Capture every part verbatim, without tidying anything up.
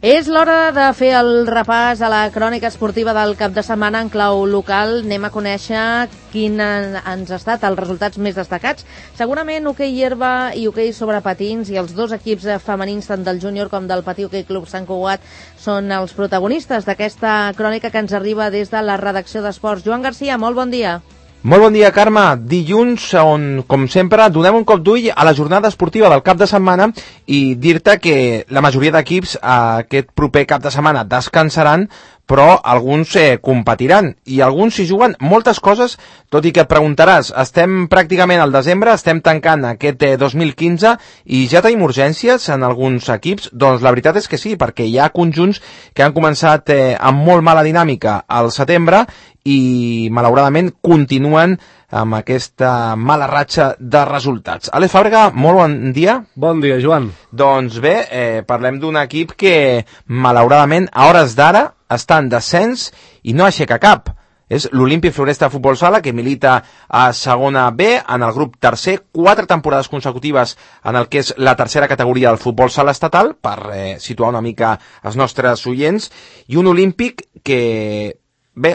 És l'hora de fer el repàs a la crònica esportiva del cap de setmana en clau local. Anem a conèixer quin han estat els resultats més destacats. Segurament hoquei herba i hoquei sobre patins, i els dos equips femenins, tant del júnior com del Patí Hoquei Club Sant Cugat, són els protagonistes d'aquesta crònica que ens arriba des de la redacció d'Esports. Joan Garcia, molt bon dia. Molt bon dia, Carme. Dilluns, on, com sempre, donem un cop d'ull a la jornada esportiva del cap de setmana i dir-te que la majoria d'equips aquest proper cap de setmana descansaran, però alguns eh, competiran i alguns s'hi juguen moltes coses, tot i que et preguntaràs, estem pràcticament al desembre, estem tancant aquest eh, dos mil quinze i ja tenim urgències en alguns equips? Doncs la veritat és que sí, perquè hi ha conjunts que han començat eh, amb molt mala dinàmica al setembre i malauradament continuen amb aquesta mala ratxa de resultats. Àlex Fàbrega, molt bon dia. Bon dia, Joan. Doncs bé, eh, parlem d'un equip que malauradament a hores d'ara està en descens i no aixeca cap. És l'Olímpic Floresta Futbol Sala, que milita a segona B, en el grup tercer, quatre temporades consecutives en el que és la tercera categoria del futbol sala estatal, per eh, situar una mica els nostres oients, i un Olímpic que... Bé,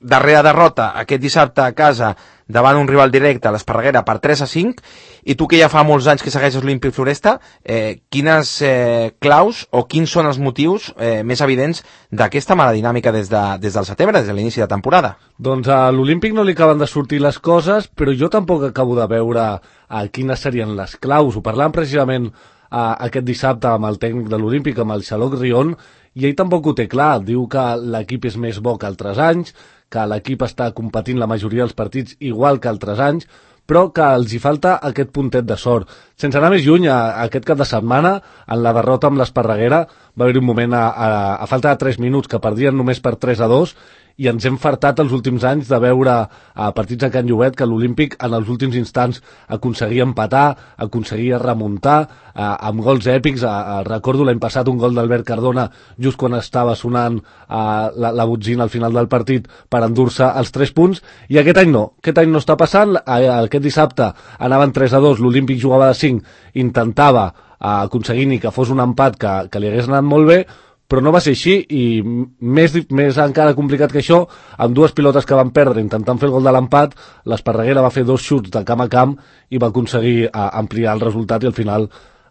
darrera derrota aquest dissabte a casa davant un rival directe a l'Esparreguera per tres a cinc, i tu que ja fa molts anys que segueixes l'Olímpic Floresta, eh, quines eh, claus o quins són els motius eh, més evidents d'aquesta mala dinàmica des, de, des del setembre, des de l'inici de temporada? Doncs a l'Olímpic no li acaben de sortir les coses, però jo tampoc acabo de veure a quines serien les claus. Ho parlàvem precisament a, aquest dissabte amb el tècnic de l'Olímpic, amb el Xaloc Rion, i ell tampoc ho té clar. Diu que l'equip és més bo que altres anys, que l'equip està competint la majoria dels partits igual que altres anys, però que els hi falta aquest puntet de sort. Sense anar més lluny, a, a aquest cap de setmana, en la derrota amb l'Esparreguera, va haver-hi un moment a, a, a falta de tres minuts que perdien només per tres a dos, i ens hem fartat els últims anys de veure a partits a Can Llobet que l'Olímpic en els últims instants aconseguia empatar, aconseguia remuntar a, amb gols èpics. A, a, recordo l'any passat un gol d'Albert Cardona just quan estava sonant a, la, la botzina al final del partit per endur-se els tres punts, i aquest any no, aquest any no està passant. A, aquest dissabte anaven tres a dos, l'Olímpic jugava de cinc, intentava a, aconseguir ni que fos un empat que, que li hagués anat molt bé, però no va ser així, i més, més encara complicat que això, amb dues pilotes que van perdre intentant fer el gol de l'empat, l'Esparreguera va fer dos xuts de camp a camp i va aconseguir a, ampliar el resultat i al final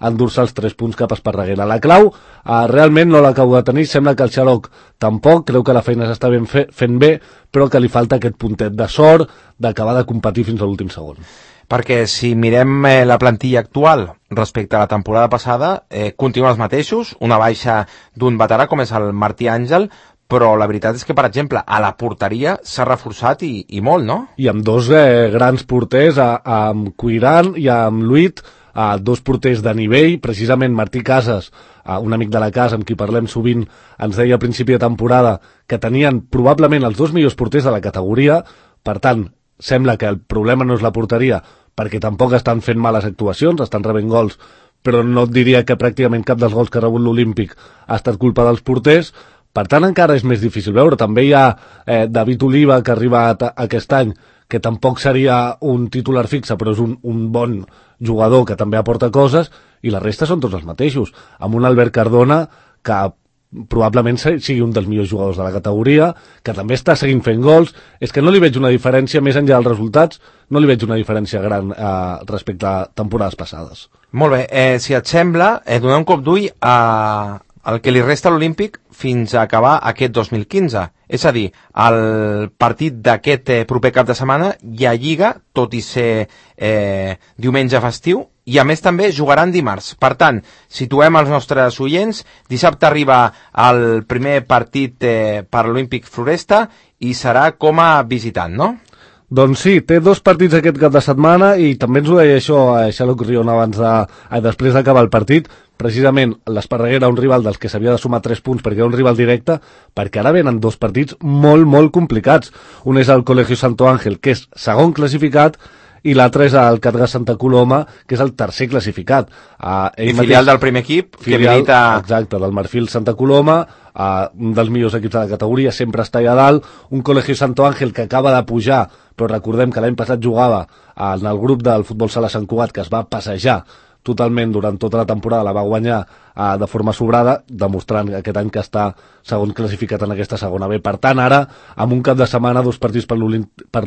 endur-se els tres punts cap a Esparreguera. La clau eh, realment no l'acabo de tenir, sembla que el Xaloc tampoc, creu que la feina s'està ben fe, fent bé, però que li falta aquest puntet de sort d'acabar de competir fins a l'últim segon. Perquè si mirem eh, la plantilla actual respecte a la temporada passada, eh, continuen els mateixos, una baixa d'un veterà com és el Martí Àngel, però la veritat és que, per exemple, a la porteria s'ha reforçat i, i molt, no? I amb dos eh, grans porters, a, a, amb Cuiran i amb Luit, a, dos porters de nivell. Precisament Martí Casas, a, un amic de la casa amb qui parlem sovint, ens deia a principi de temporada que tenien probablement els dos millors porters de la categoria. Per tant, sembla que el problema no és la porteria, perquè tampoc estan fent males actuacions, estan rebent gols, però no et diria que pràcticament cap dels gols que ha rebut l'Olímpic ha estat culpa dels porters. Per tant, encara és més difícil veure. També hi ha eh, David Oliva, que ha arribat aquest any, que tampoc seria un titular fixe, però és un, un bon jugador que també aporta coses, i la resta són tots els mateixos, amb un Albert Cardona que probablement sigui un dels millors jugadors de la categoria, que també està seguint fent gols. És que no li veig una diferència, més enllà dels resultats, no li veig una diferència gran eh, respecte a temporades passades. Molt bé, eh, si et sembla, eh, donar un cop d'ull a el que li resta a l'Olímpic fins a acabar aquest dos mil quinze. És a dir, el partit d'aquest eh, proper cap de setmana hi ha Lliga, tot i ser eh, diumenge festiu, i a més també jugaran dimarts. Per tant, situem els nostres oients, dissabte arriba el primer partit eh, per l'Olímpic Floresta i serà com a visitant, no? Doncs sí, té dos partits aquest cap de setmana, i també ens ho deia això a Xaloc Rion abans de, eh, després d'acabar el partit. Precisament l'Esparreguera, un rival dels que s'havia de sumar tres punts perquè era un rival directe, perquè ara venen dos partits molt, molt complicats. Un és el Colegio Santo Ángel, que és segon classificat, i l'altre és el Catgas Santa Coloma, que és el tercer classificat. Uh, I filial mateix, del primer equip, filial, que milita... Exacte, del Marfil Santa Coloma, uh, un dels millors equips de la categoria, sempre està allà dalt. Un Colegio Santo Ángel que acaba de pujar, però recordem que l'any passat jugava en el grup del futbol sala Sant Cugat, que es va passejar totalment durant tota la temporada, la va guanyar eh, de forma sobrada, demostrant aquest any que està segon classificat en aquesta segona B. Per tant, ara, amb un cap de setmana, dos partits per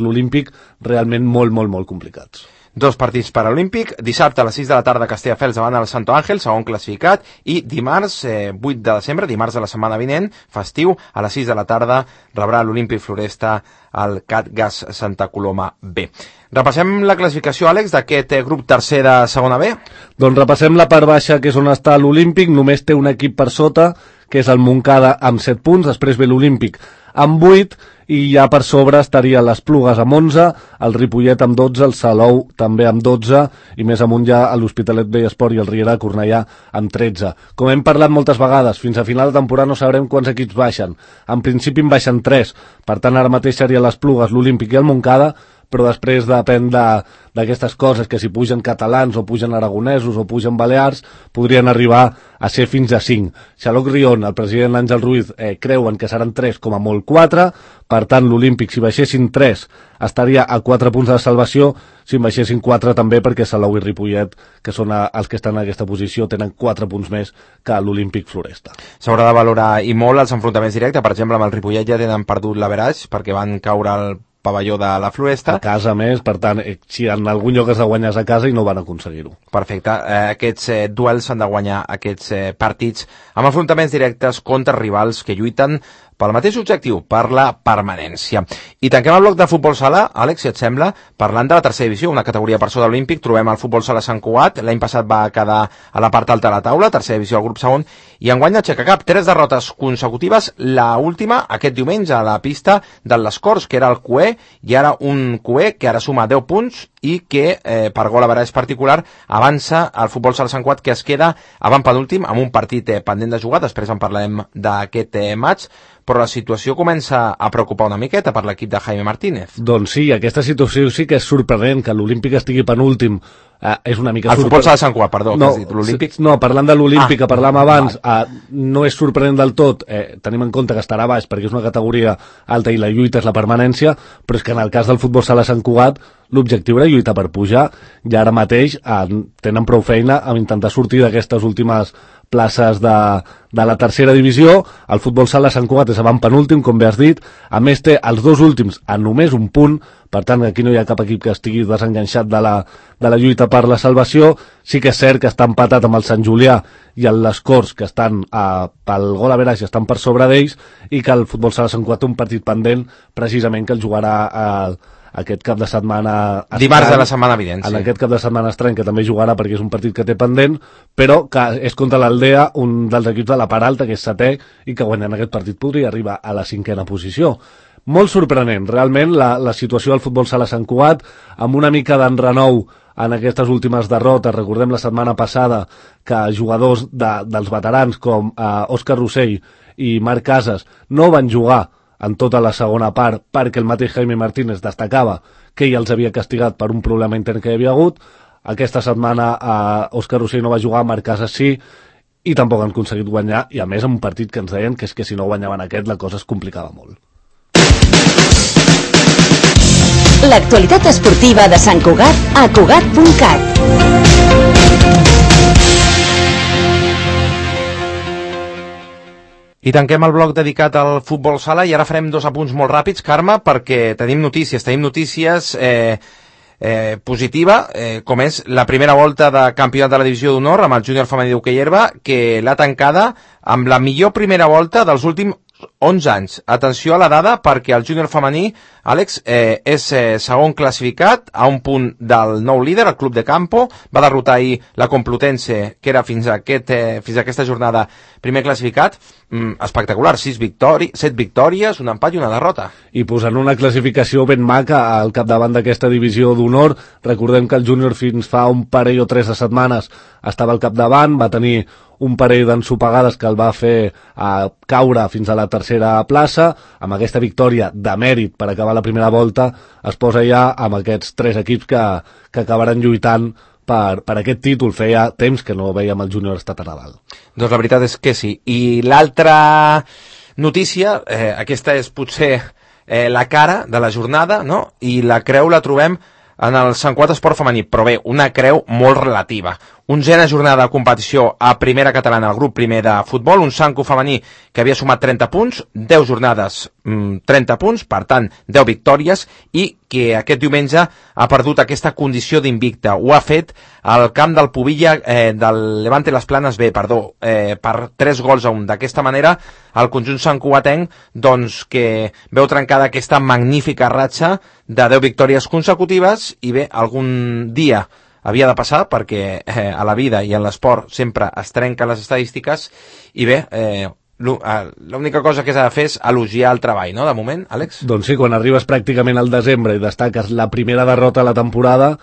l'Olímpic, realment molt, molt, molt complicats. Dos partits per a l'Olímpic, dissabte a les sis de la tarda Castelldefels davant el Santo Ángel, segon classificat, i dimarts, eh, vuit de desembre, dimarts de la setmana vinent, festiu, a les sis de la tarda rebrà l'Olímpic Floresta al CatGas Santa Coloma B. Repassem la classificació, Àlex, d'aquest grup tercer de segona B? Doncs repassem la part baixa, que és on està l'Olímpic, només té un equip per sota, que és el Montcada amb set punts, després ve l'Olímpic amb vuit, i ja per sobre estaria les Plugues amb onze, el Ripollet amb dotze, el Salou també amb dotze, i més amunt ja l'Hospitalet Vellesport i el Riera Cornellà amb tretze. Com hem parlat moltes vegades, fins a final de temporada no sabrem quants equips baixen. En principi en baixen tres, per tant ara mateix serien les Plugues, l'Olímpic i el Montcada, però després depèn d'aquestes coses, que si pugen catalans o pugen aragonesos o pugen balears, podrien arribar a ser fins a cinc. Xaloc Rion, el president Àngel Ruiz, eh, creuen que seran tres com a molt quatre, per tant l'Olímpic, si baixessin tres, estaria a quatre punts de salvació, si en baixessin quatre també, perquè Salou i Ripollet, que són els que estan en aquesta posició, tenen quatre punts més que l'Olímpic Floresta. S'haurà de valorar i molt els enfrontaments directes, per exemple amb el Ripollet ja tenen perdut l'averaix, perquè van caure al pavelló de la Floresta. A casa més, per tant, si en algun lloc has de guanyar a casa i no van aconseguir-ho. Perfecte. Eh, aquests eh, duels s'han de guanyar, aquests eh, partits, amb enfrontaments directes contra rivals que lluiten pel mateix objectiu, per la permanència. I tanquem el bloc de futbol sala, Àlex, si et sembla, parlant de la tercera divisió, una categoria per sota de l'Olímpic. Trobem el futbol sala Sant Cugat, l'any passat va quedar a la part alta de la taula, tercera divisió al grup segon, i enguany aixeca cap, tres derrotes consecutives, la última aquest diumenge a la pista de les Corts, que era el Cué, i ara un Cué que ara suma deu punts i que, eh, per gol a veraix particular, avança el futbol sala Sant Cugat, que es queda avant penúltim amb un partit eh, pendent de jugar. Després en parlarem d'aquest eh, match, però la situació comença a preocupar una miqueta per l'equip de Jaime Martínez. Doncs sí, aquesta situació sí que és sorprenent, que l'Olímpic estigui penúltim. Eh, és una mica el sorprenent. futbol sala Sant Cugat, perdó, no, que has dit, l'Olímpic. No, parlant de l'Olímpic, ah, que parlàvem abans, val. eh, no és sorprenent del tot, eh, tenim en compte que estarà baix perquè és una categoria alta i la lluita és la permanència, però és que en el cas del futbol sala Sant Cugat l'objectiu era lluitar per pujar, i ara mateix eh, tenen prou feina a intentar sortir d'aquestes últimes places de, de la tercera divisió. El futbol sala Sant Cugat és avant penúltim, com bé has dit, a més té els dos últims a només un punt, per tant aquí no hi ha cap equip que estigui desenganxat de la, de la lluita per la salvació. Sí que és cert que està empatat amb el Sant Julià i el Les Corts, que estan eh, pel gol a veraix, estan per sobre d'ells, i que el futbol sala Sant Cugat té un partit pendent, precisament que el jugarà eh, aquest cap de setmana estrany, dimarts de la setmana vinent, sí. En aquest cap de setmana estrany, que també jugarà perquè és un partit que té pendent, però que és contra l'Aldea, un dels equips de la part alta, que és setè, i que guanyant aquest partit podria arribar a la cinquena posició. Molt sorprenent, realment, la, la situació del futbol sala Sant Cugat, amb una mica d'enrenou en aquestes últimes derrotes. Recordem la setmana passada que jugadors de, dels veterans com eh, Òscar Rossell i Marc Casas no van jugar en tota la segona part, perquè el mateix Jaime Martínez destacava que ell els havia castigat per un problema intern que hi havia hagut. Aquesta setmana eh, Òscar Rossell no va jugar, Marc Casas sí, i tampoc han aconseguit guanyar, i a més en un partit que ens deien que és que si no guanyaven aquest la cosa es complicava molt. L'actualitat esportiva de Sant Cugat a Cugat punt cat. I tanquem el bloc dedicat al futbol sala, i ara farem dos apunts molt ràpids, Carme, perquè tenim notícies, tenim notícies eh, eh, positiva, eh, com és la primera volta de campionat de la divisió d'honor amb el júnior femení d'hoquei herba, que l'ha tancada amb la millor primera volta dels últims onze anys. Atenció a la dada, perquè el júnior femení, Àlex, eh, és eh, segon classificat a un punt del nou líder, el Club de Campo. Va derrotar ahir la Complutense, que era fins a, aquest, eh, fins a aquesta jornada primer classificat. Mm, espectacular, sis victòries, set victòries, un empat i una derrota. I posant una classificació ben maca al capdavant d'aquesta divisió d'honor. Recordem que el júnior fins fa un parell o tres de setmanes estava al capdavant, va tenir un parell d'ensopegades que el va fer eh, caure fins a la tercera plaça. Amb aquesta victòria de mèrit per acabar la primera volta es posa ja amb aquests tres equips que, que acabaran lluitant per, per aquest títol. Feia temps que no veiem el júnior estar tan a dalt. Doncs la veritat és que sí. I l'altra notícia, eh, aquesta és potser eh, la cara de la jornada, no? I la creu la trobem en el Sant Cugat Esport Femení, però bé, una creu molt relativa. onzena jornada de competició a primera catalana, al grup primer de futbol, un Sanco femení que havia sumat trenta punts, deu jornades, trenta punts, per tant, deu victòries, i que aquest diumenge ha perdut aquesta condició d'invicta. Ho ha fet al camp del Pubilla, eh, del Levante Les Planes B, perdó, eh, per tres gols a un. D'aquesta manera, el conjunt santcugatenc, doncs, que veu trencada aquesta magnífica ratxa de deu victòries consecutives, i bé, algun dia havia de passar, perquè eh, a la vida i en l'esport sempre es trenquen les estadístiques, i bé, eh, l'única cosa que s'ha de fer és elogiar el treball, no?, de moment, Àlex? Doncs sí, quan arribes pràcticament al desembre i destaques la primera derrota de la temporada,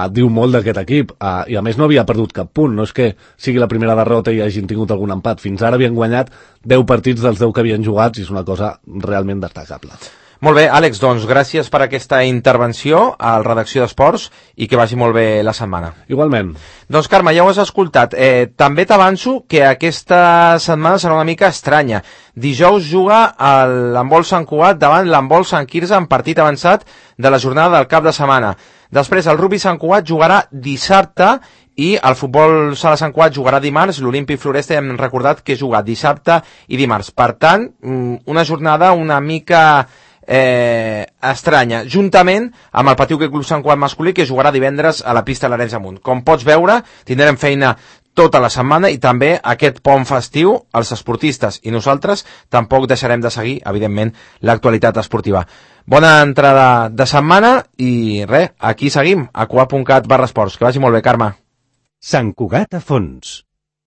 et diu molt d'aquest equip, uh, i a més no havia perdut cap punt, no és que sigui la primera derrota i hagin tingut algun empat, fins ara havien guanyat deu partits dels deu que havien jugat, i és una cosa realment destacable. Molt bé, Àlex, doncs gràcies per aquesta intervenció a la redacció d'Esports i que vagi molt bé la setmana. Igualment. Doncs Carme, ja ho has escoltat. Eh, també t'avanço que aquesta setmana serà una mica estranya. Dijous juga l'handbol Sant Cugat davant l'handbol Sant Quirze en partit avançat de la jornada del cap de setmana. Després el rugby Sant Cugat jugarà dissabte i el futbol sala Sant Cugat jugarà dimarts. L'Olímpic Floresta hem recordat que juga dissabte i dimarts. Per tant, una jornada una mica Eh, estranya, juntament amb el Patiu Club Sant Cugat masculí, que jugarà divendres a la pista de l'Arenys de Munt. Com pots veure, tindrem feina tota la setmana i també aquest pont festiu, els esportistes i nosaltres tampoc deixarem de seguir, evidentment, l'actualitat esportiva. Bona entrada de setmana i res, aquí seguim, a cugat punt cat barra esports. Que vagi molt bé, Carme. Sant Cugat a fons.